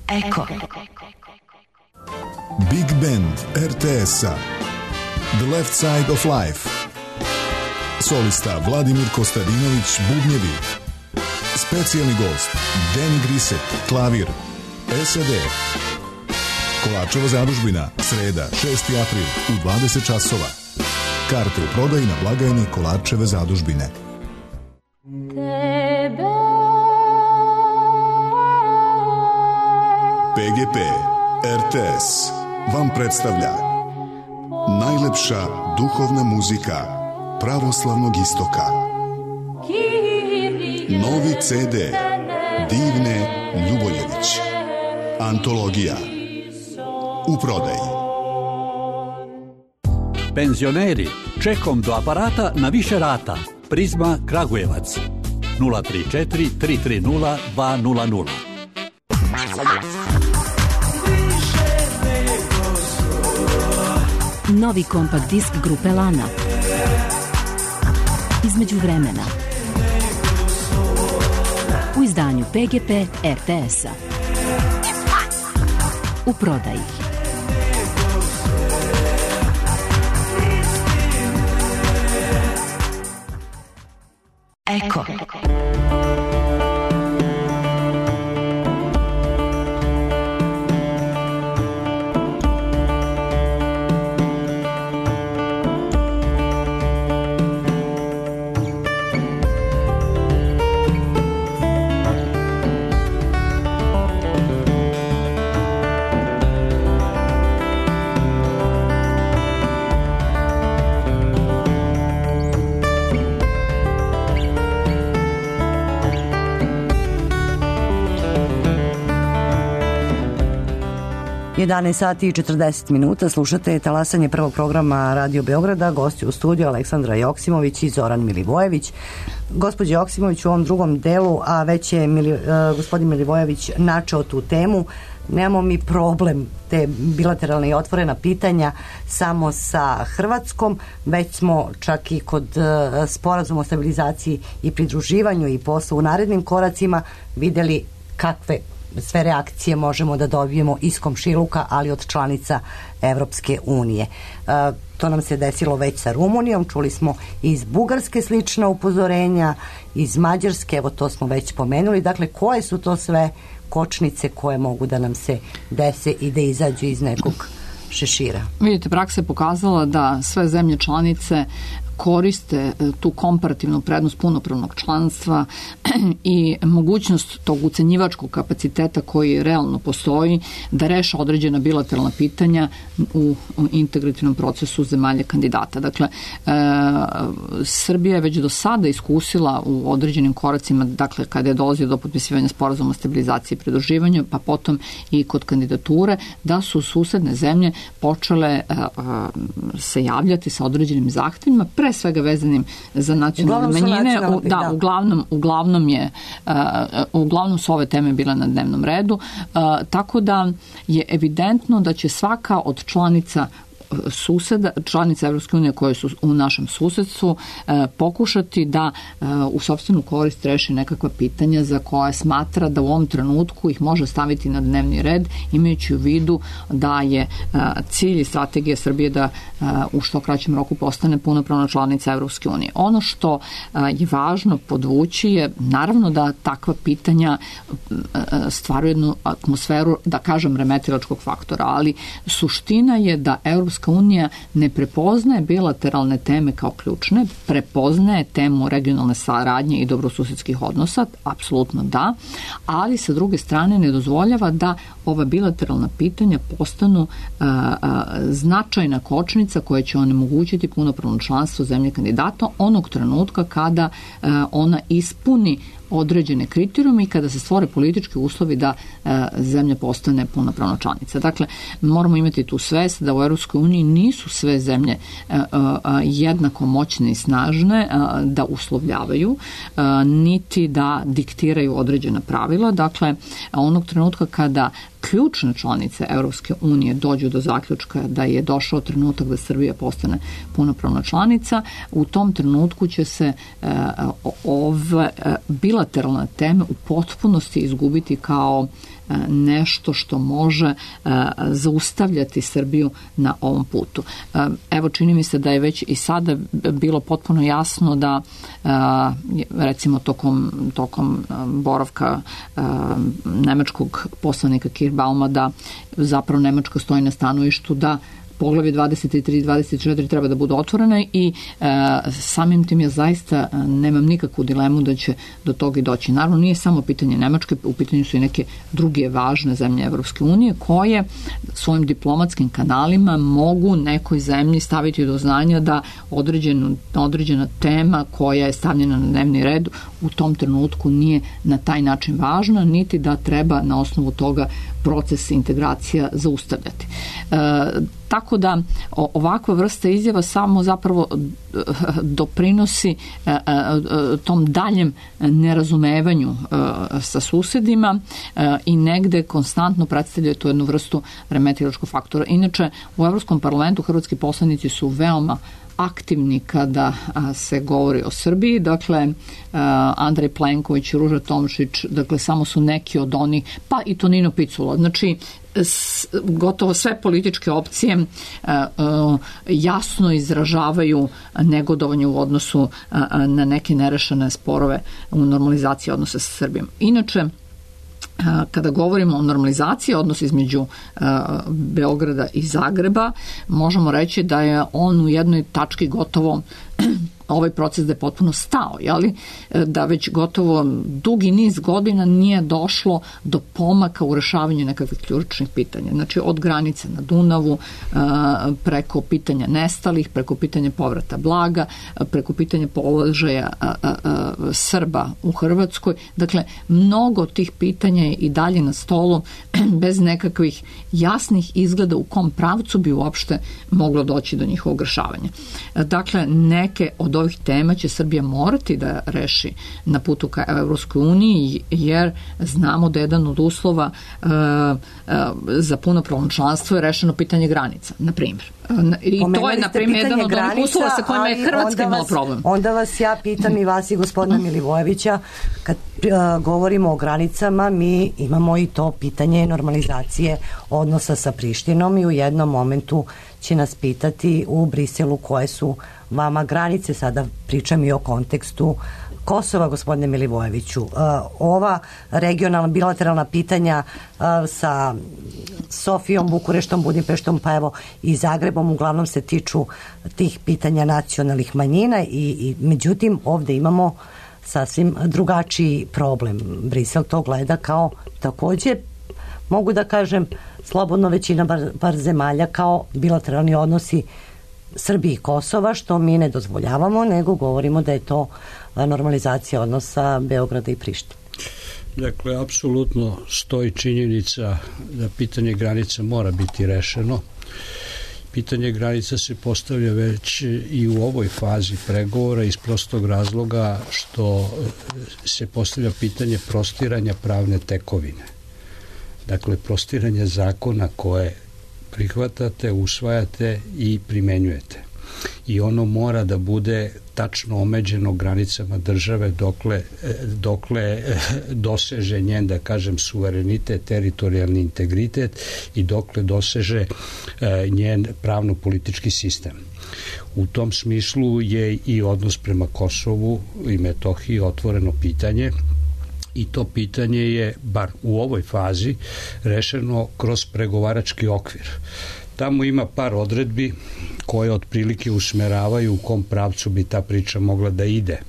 Eko. Big Band RTS-a The Left Side of Life. Solista Vladimir Kostadinović, bubnjevi. Specijalni gost Danny Grisek, klavir. SAD. Kolarčeva zadužbina, sreda, 6. april u 20 časova. Karte u prodaji na blagajni Kolarčeve zadužbine. PGP RTS vam predstavlja najlepša duhovna muzika pravoslavnog istoka. Novi CD Divne Ljuboljević. Antologija. U prodaji. Penzioneri, čekom do aparata na više rata. Prizma Kragujevac. 034 330 200. Novi kompakt disk grupe Lana. Između vremena. U izdanju PGP RTS-a. U prodaji. Eko. Sati i 40 minuta, slušate talasanje prvog programa Radio Beograda, gosti u studiju Aleksandra Joksimović i Zoran Milivojević. Gospođe Joksimović, u ovom drugom delu, a već je gospodin Milivojević načeo tu temu, nemamo mi problem te bilateralne i otvorena pitanja samo sa Hrvatskom, već smo čak i kod sporazuma o stabilizaciji i pridruživanju i posle u narednim koracima videli kakve sve reakcije možemo da dobijemo iz komšiluka, ali od članica Evropske unije. To nam se desilo već sa Rumunijom, čuli smo iz Bugarske slična upozorenja, iz Mađarske, evo to smo već spomenuli. Dakle, koje su to sve kočnice koje mogu da nam se dese i da izađu iz nekog šešira? Vidite, praksa je pokazala da sve zemlje članice koriste tu komparativnu prednost punopravnog članstva i mogućnost tog ucenjivačkog kapaciteta koji realno postoji da reše određena bilateralna pitanja u integrativnom procesu zemalja kandidata. Dakle, Srbija je već do sada iskusila u određenim koracima, dakle, kada je dolazio do potpisivanja sporazuma o stabilizaciji i pridruživanju, pa potom i kod kandidature, da su susedne zemlje počele se javljati sa određenim zahtevima, pre svega vezanim za nacionalne manjine. Uglavnom su ove teme bile na dnevnom redu, tako da je evidentno da će svaka od članica Evropske unije koje su u našem susedstvu pokušati da u sopstvenu korist reši nekakva pitanja za koja smatra da u ovom trenutku ih može staviti na dnevni red, imajući u vidu da je cilj i strategija Srbije da u što kraćem roku postane punopravna članica Evropske unije. Ono što je važno podvući je naravno da takva pitanja stvaraju jednu atmosferu, da kažem, remetilačkog faktora, ali suština je da Evropska unija ne prepoznaje bilateralne teme kao ključne, prepoznaje temu regionalne saradnje i dobrosusedskih odnosa, apsolutno da, ali sa druge strane ne dozvoljava da ova bilateralna pitanja postanu značajna kočnica koja će onemogućiti punopravno članstvo zemlje kandidata onog trenutka kada ona ispuni određene kriterijume i kada se stvore politički uslovi da zemlja postane punopravna članica. Dakle, moramo imati tu svest da u Europskoj uniji nisu sve zemlje jednako moćne i snažne da uslovljavaju, niti da diktiraju određena pravila. Dakle, onog trenutka kada ključne članice Europske unije dođu do zaključka da je došao trenutak da Srbija postane punopravna članica, u tom trenutku će se ove bilateralne teme u potpunosti izgubiti kao nešto što može zaustavljati Srbiju na ovom putu. Evo, čini mi se da je već i sada bilo potpuno jasno da recimo tokom boravka nemačkog poslanika Kirchbauma da zapravo Nemačka stoji na stanovištu da poglavlje 23 i 24 treba da budu otvorene i samim tim ja zaista nemam nikakvu dilemu da će do toga i doći. Naravno, nije samo pitanje Nemačke, u pitanju su i neke druge važne zemlje Evropske unije koje svojim diplomatskim kanalima mogu nekoj zemlji staviti do znanja da određena tema koja je stavljena na dnevni red u tom trenutku nije na taj način važna, niti da treba na osnovu toga proces integracija zaustavljati. Tako da ovakva vrsta izjava samo zapravo doprinosi tom daljem nerazumevanju sa susedima i negde konstantno predstavlja tu jednu vrstu remetilačkog faktora. Inače, u Evropskom parlamentu hrvatski poslanici su veoma aktivni kada se govori o Srbiji, dakle Andrej Plenković, Ruža Tomšić, dakle samo su neki od onih, pa i Tonino Picula, znači gotovo sve političke opcije jasno izražavaju negodovanje u odnosu na neke nerešene sporove u normalizaciji odnosa sa Srbijom. Inače, kada govorimo o normalizaciji odnosa između Beograda i Zagreba, možemo reći da je on u jednoj tački gotovo ovaj proces da je potpuno stao, jeli? Da već gotovo dugi niz godina nije došlo do pomaka u rešavanju nekakvih ključnih pitanja. Znači od granice na Dunavu, preko pitanja nestalih, preko pitanja povrata blaga, preko pitanja položaja Srba u Hrvatskoj. Dakle, mnogo tih pitanja je i dalje na stolu bez nekakvih jasnih izgleda u kom pravcu bi uopšte moglo doći do njihovog rešavanja. Dakle, neke od ovih tema će Srbija morati da reši na putu ka Evropskoj uniji, jer znamo da jedan od uslova za punopravno članstvo je rešeno pitanje granica, na primjer. I to je, na primjer, jedan od ovih uslova sa kojima je Hrvatska imala problem. Onda vas ja pitam i vas i gospodina Milivojevića, kad govorimo o granicama, mi imamo i to pitanje normalizacije odnosa sa Prištinom i u jednom momentu će nas pitati u Briselu koje su vama granice, sada pričam i o kontekstu Kosova, gospodine Milivojeviću. Ova regionalna bilateralna pitanja sa Sofijom, Bukureštom, Budimpeštom, pa evo i Zagrebom, uglavnom se tiču tih pitanja nacionalnih manjina i međutim ovde imamo sasvim drugačiji problem. Brisel to gleda kao takođe, mogu da kažem, slobodno većina bar zemalja kao bilateralni odnosi Srbije i Kosova, što mi ne dozvoljavamo, nego govorimo da je to normalizacija odnosa Beograda i Prištine. Dakle, apsolutno stoji činjenica da pitanje granica mora biti rešeno. Pitanje granica se postavlja već i u ovoj fazi pregovora iz prostog razloga što se postavlja pitanje prostiranja pravne tekovine. Dakle, prostiranje zakona koje prihvatate, usvajate i primenjujete. I ono mora da bude tačno omeđeno granicama države dokle doseže njen, da kažem, suverenitet, teritorijalni integritet i dokle doseže njen pravno-politički sistem. U tom smislu je i odnos prema Kosovu i Metohiji otvoreno pitanje i to pitanje je, bar u ovoj fazi, rešeno kroz pregovarački okvir. Tamo ima par odredbi koje otprilike usmeravaju u kom pravcu bi ta priča mogla da ide.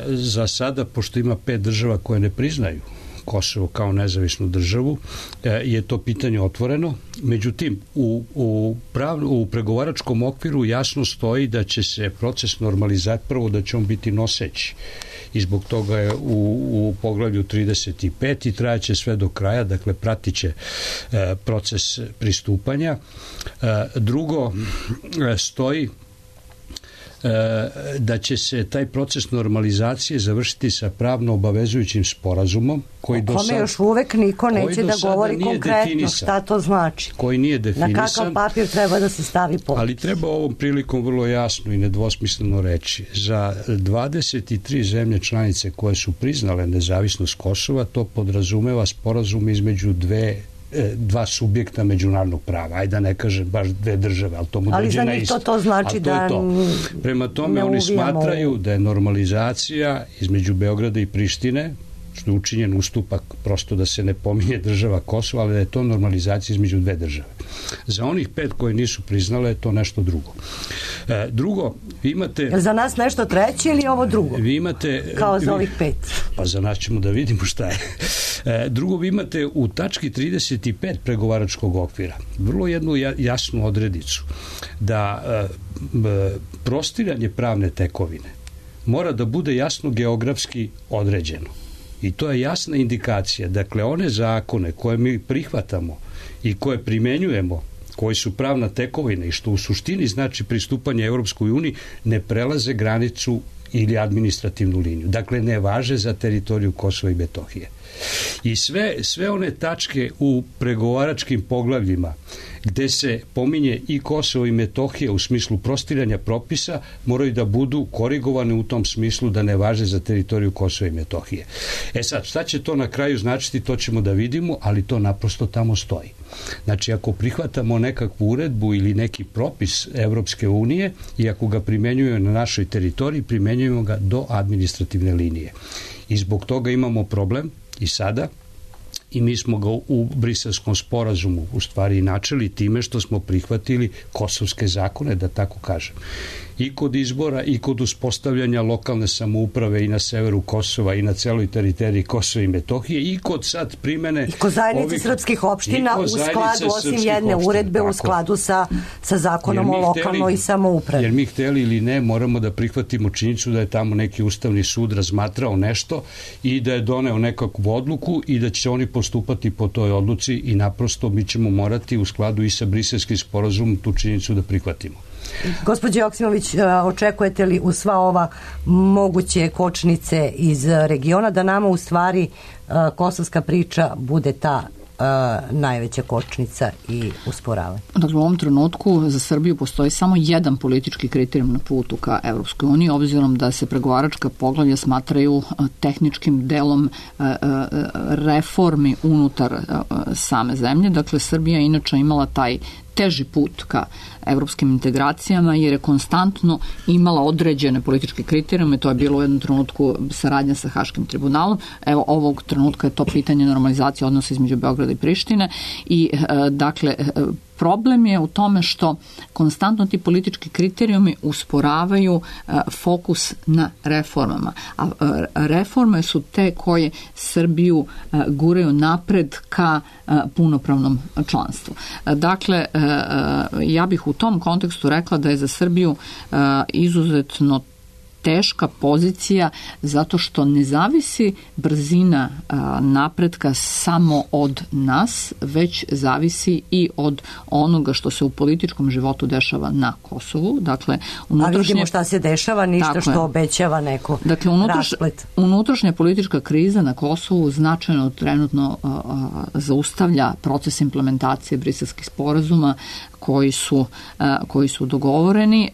Za sada, pošto ima 5 država koje ne priznaju Kosovo kao nezavisnu državu, je to pitanje otvoreno. Međutim, u pregovaračkom okviru jasno stoji da će se proces normalizacije, prvo da će on biti noseći i zbog toga je u poglavlju 35 i trajaće sve do kraja, dakle pratit će proces pristupanja. Drugo, stoji da će se taj proces normalizacije završiti sa pravno obavezujućim sporazumom koji do sada, još uvek niko neće da govori konkretno šta to znači. Koji nije definisan. Na kakav papir treba da se stavi potpis. Ali treba ovom prilikom vrlo jasno i nedvosmisleno reći. Za 23 zemlje članice koje su priznale nezavisnost Kosova, to podrazumeva sporazum između dva subjekta međunarodnog prava. Ajde da ne kažem baš 2 države, ali to mu dođe na isto. To znači da Prema tome oni smatraju da je normalizacija između Beograda i Prištine, što je učinjen ustupak prosto da se ne pominje država Kosova, ali da je to normalizacija između dve države. Za onih 5 koje nisu priznale je to nešto drugo. Drugo, vi imate... Je li za nas nešto treće ili ovo drugo? Vi imate... Kao za ovih 5? Pa za nas ćemo da vidimo šta je. Drugo, vi imate u tački 35 pregovaračkog okvira vrlo jednu jasnu odredicu da prostiranje pravne tekovine mora da bude jasno geografski određeno. I to je jasna indikacija. Dakle, one zakone koje mi prihvatamo i koje primenjujemo, koji su pravna tekovina i što u suštini znači pristupanje Evropskoj uniji, ne prelaze granicu ili administrativnu liniju. Dakle, ne važe za teritoriju Kosova i Metohije. I sve one tačke u pregovaračkim poglavljima gde se pominje i Kosovo i Metohija u smislu prostiranja propisa moraju da budu korigovane u tom smislu da ne važe za teritoriju Kosova i Metohije. Sad, šta će to na kraju značiti, to ćemo da vidimo, ali to naprosto tamo stoji. Znači, ako prihvatamo nekakvu uredbu ili neki propis Evropske unije i ako ga primenjujemo na našoj teritoriji, primenjujemo ga do administrativne linije. I zbog toga imamo problem i sada, i mi smo ga u Briselskom sporazumu u stvari načeli time što smo prihvatili kosovske zakone, da tako kažem. I kod izbora i kod uspostavljanja lokalne samouprave i na severu Kosova i na celoj teritoriji Kosova i Metohije i kod sad primene... I kod zajednice srpskih opština u skladu, osim jedne uredbe, u skladu sa zakonom o lokalnoj samoupravi. Jer mi hteli ili ne, moramo da prihvatimo činjenicu da je tamo neki ustavni sud razmatrao nešto i da je doneo nekakvu odluku i da će oni postupati po toj odluci i naprosto mi ćemo morati u skladu i sa Briselskim sporazumom tu činjenicu da prihvatimo. Gospođo Joksimović, očekujete li u sva ova moguće kočnice iz regiona da nama u stvari kosovska priča bude ta najveća kočnica i usporavanje? Dakle, u ovom trenutku za Srbiju postoji samo jedan politički kriterijum na putu ka Evropskoj uniji, obzirom da se pregovaračka poglavlja smatraju tehničkim delom reformi unutar same zemlje. Dakle, Srbija inače imala taj teži put ka evropskim integracijama jer je konstantno imala određene političke kriterijume, to je bilo u jednom trenutku saradnja sa Haškim tribunalom, evo ovog trenutka je to pitanje normalizacije odnosa između Beograda i Prištine i dakle problem je u tome što konstantno ti politički kriterijumi usporavaju fokus na reformama. A reforme su te koje Srbiju guraju napred ka punopravnom članstvu. Dakle, ja bih u tom kontekstu rekla da je za Srbiju izuzetno teška pozicija zato što ne zavisi brzina napretka samo od nas, već zavisi i od onoga što se u političkom životu dešava na Kosovu. Dakle, a vidimo šta se dešava, ništa što obećava neko rasplet. Unutrašnja politička kriza na Kosovu značajno trenutno zaustavlja proces implementacije briselskih sporazuma koji su dogovoreni.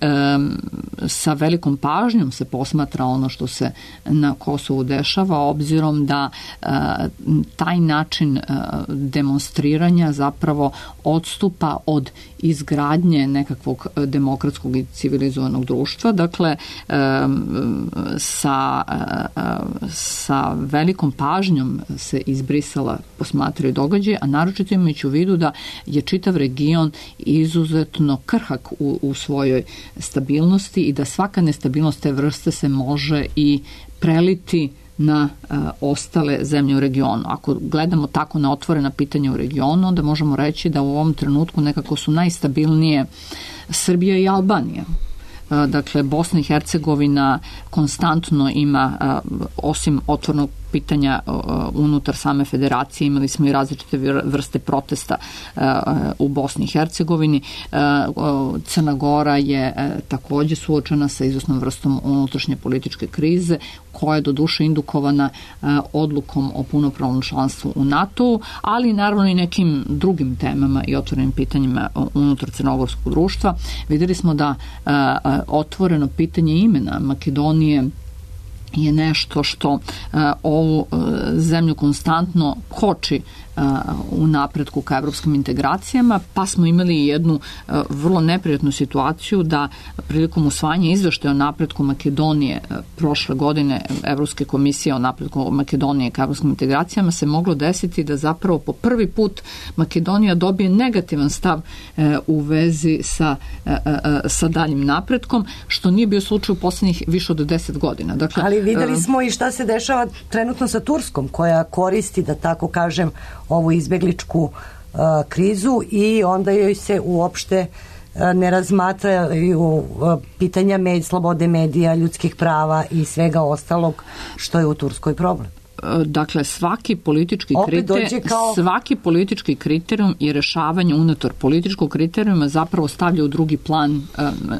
Sa velikom pažnjom se posmatra ono što se na Kosovu dešava, obzirom da taj način demonstriranja zapravo odstupa od izgradnje nekakvog demokratskog i civilizovanog društva. Dakle, sa velikom pažnjom se iz Brisela posmatraju događaje, a naročito imajući u vidu da je čitav region izuzetno krhak u svojoj stabilnosti i da svaka nestabilnost te vrste se može i preliti na ostale zemlje u regionu. Ako gledamo tako na otvorena pitanja u regionu, onda možemo reći da u ovom trenutku nekako su najstabilnije Srbija i Albanija. Dakle, Bosna i Hercegovina konstantno ima, osim otvornog pitanja unutar same federacije, imali smo i različite vrste protesta u Bosni i Hercegovini. Crna Gora je takođe suočena sa izvesnom vrstom unutrašnje političke krize, koja je doduše indukovana odlukom o punopravnom članstvu u NATO-u, ali naravno i nekim drugim temama i otvorenim pitanjima unutar crnogorskog društva. Videli smo da otvoreno pitanje imena Makedonije je nešto što ovu zemlju konstantno koči u napretku ka evropskim integracijama, pa smo imali jednu vrlo neprijatnu situaciju da prilikom usvajanja izveštaja o napretku Makedonije prošle godine Evropske komisije o napretku Makedonije ka evropskim integracijama se moglo desiti da zapravo po prvi put Makedonija dobije negativan stav u vezi sa daljim napretkom, što nije bio slučaj u poslednjih više od 10 godina. Dakle, ali videli smo i šta se dešava trenutno sa Turskom, koja koristi, da tako kažem, ovu izbegličku krizu i onda joj se uopšte ne razmatraju pitanja slobode medija, ljudskih prava i svega ostalog što je u Turskoj problem. Dakle, svaki politički kriterijum i rešavanje unutar političkog kriterijuma zapravo stavlja u drugi plan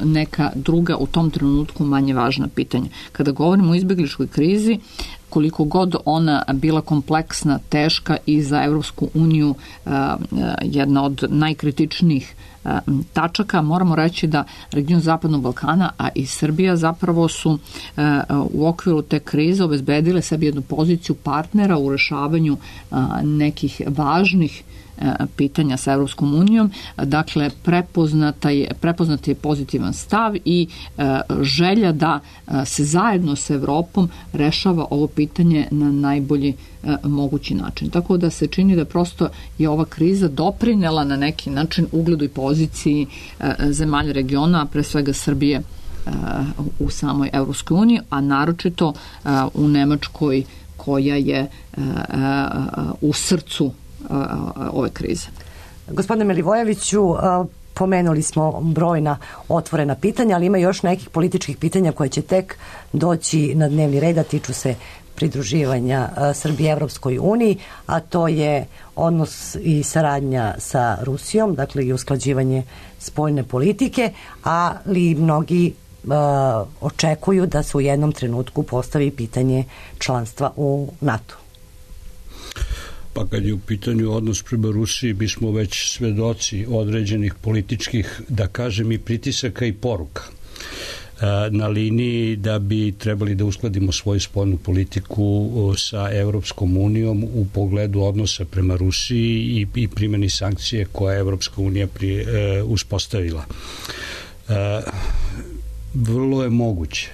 neka druga u tom trenutku manje važna pitanja. Kada govorimo o izbegličkoj krizi, koliko god ona bila kompleksna, teška i za Evropsku uniju jedna od najkritičnijih tačaka, moramo reći da region Zapadnog Balkana, a i Srbija zapravo su u okviru te krize obezbedile sebi jednu poziciju partnera u rešavanju nekih važnih pitanja sa Evropskom unijom. Dakle, prepoznat je pozitivan stav i želja da se zajedno s Evropom rešava ovo pitanje na najbolji mogući način. Tako da se čini da prosto je ova kriza doprinela na neki način ugledu i poziciji zemalja regiona, a pre svega Srbije u samoj Evropskoj uniji, a naročito u Nemačkoj koja je u srcu ove krize. Gospodine Milivojeviću, pomenuli smo brojna otvorena pitanja, ali ima još nekih političkih pitanja koje će tek doći na dnevni red, a tiču se pridruživanja Srbije Evropskoj uniji, a to je odnos i saradnja sa Rusijom, dakle i usklađivanje spoljne politike, ali mnogi očekuju da se u jednom trenutku postavi pitanje članstva u NATO. Pa kad je u pitanju odnos prema Rusiji, mi smo već svedoci određenih političkih, da kažem, i pritisaka i poruka na liniji da bi trebali da uskladimo svoju spoljnu politiku sa Evropskom unijom u pogledu odnosa prema Rusiji i primjeni sankcije koje je Evropska unija uspostavila. Vrlo je moguće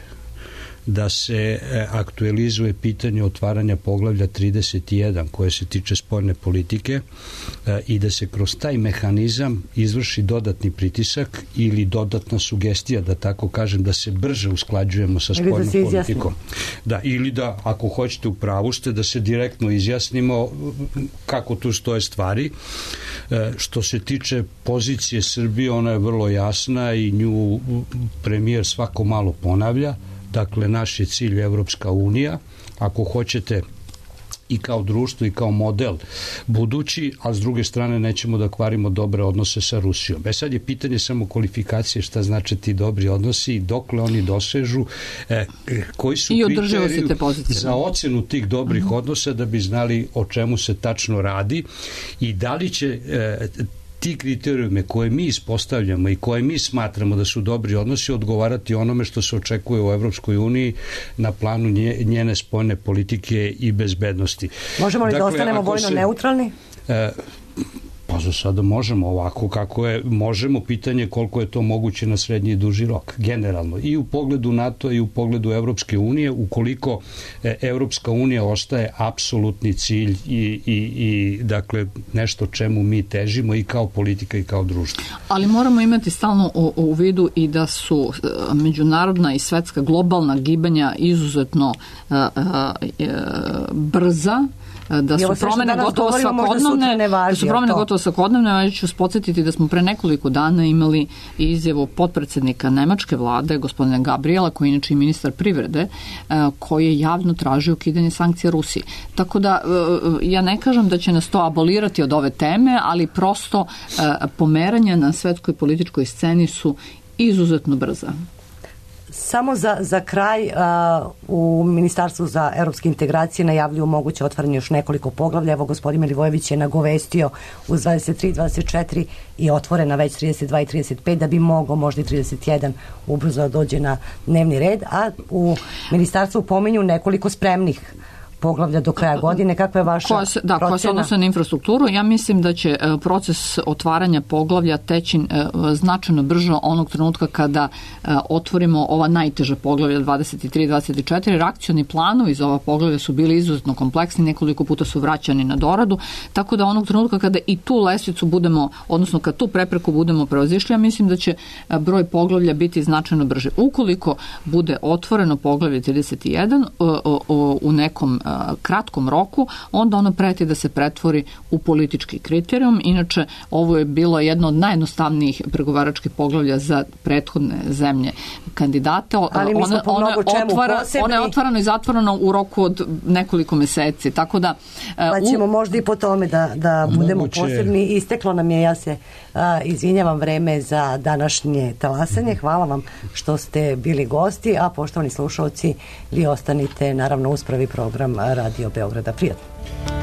da se aktualizuje pitanje otvaranja poglavlja 31 koje se tiče spoljne politike i da se kroz taj mehanizam izvrši dodatni pritisak ili dodatna sugestija, da tako kažem, da se brže usklađujemo sa spoljnom politikom. Da, ili da, ako hoćete, u pravu ste, da se direktno izjasnimo kako tu stoje stvari. Što se tiče pozicije Srbije, ona je vrlo jasna i nju premijer svako malo ponavlja. Dakle, naš je cilj Evropska unija, ako hoćete i kao društvo i kao model budući, a s druge strane nećemo da kvarimo dobre odnose sa Rusijom. Sad je pitanje samo kvalifikacije šta znači ti dobri odnosi, dokle oni dosežu, koji su kriteriji za ocenu tih dobrih odnosa da bi znali o čemu se tačno radi i da li će ti kriterijume koje mi ispostavljamo i koje mi smatramo da su dobri odnosi odgovarati onome što se očekuje u Evropskoj uniji na planu njene spoljne politike i bezbednosti. Možemo li da ostanemo vojno neutralni? Pa za sada možemo ovako kako je, možemo, pitanje koliko je to moguće na srednji i duži rok, generalno. I u pogledu NATO i u pogledu Evropske unije, ukoliko Evropska unija ostaje apsolutni cilj i dakle nešto čemu mi težimo i kao politika i kao društvo. Ali moramo imati stalno u vidu i da su međunarodna i svetska globalna gibanja izuzetno brza, da su promene gotovo svakodnevne, ja ću podsjetiti da smo pre nekoliko dana imali izjavu potpredsednika nemačke vlade, gospodina Gabriela, koji je inače i ministar privrede, koji je javno tražio ukidanje sankcija Rusiji. Tako da, ja ne kažem da će nas to abolirati od ove teme, ali prosto pomeranja na svetskoj političkoj sceni su izuzetno brza. Samo za kraj, u Ministarstvu za evropske integracije najavljuju moguće otvaranje još nekoliko poglavlja. Evo, gospodin Milivojević je nagovestio uz 23, 24 i otvorena već 32 i 35, da bi mogao možda i 31 ubrzo dođe na dnevni red, a u Ministarstvu pominju nekoliko spremnih poglavlja do kraja godine. Kakva je vaša procena? Koja se odnose na infrastrukturu. Ja mislim da će proces otvaranja poglavlja teći značajno brže onog trenutka kada otvorimo ova najteža poglavlja 23 i 24. Reakcioni planovi za ova poglavlja su bili izuzetno kompleksni, nekoliko puta su vraćani na doradu, tako da onog trenutka kada i tu lestvicu budemo, odnosno kad tu prepreku budemo prevazišli, ja mislim da će broj poglavlja biti značajno brže. Ukoliko bude otvoreno poglavlje 31 u nekom kratkom roku, onda ono preti da se pretvori u politički kriterijum. Inače, ovo je bilo jedno od najjednostavnijih pregovaračkih poglavlja za prethodne zemlje kandidate. Ali mi smo po mnogo čemu posebni. Ona je otvoreno i zatvoreno u roku od nekoliko meseci, tako da... Pa ćemo možda i po tome da budemo posebni. Isteklo nam je, ja se izvinjavam, vreme za današnje talasanje. Hvala vam što ste bili gosti, a poštovani slušalci, vi ostanite naravno uz prvi program Radio Beograda. Prijatno.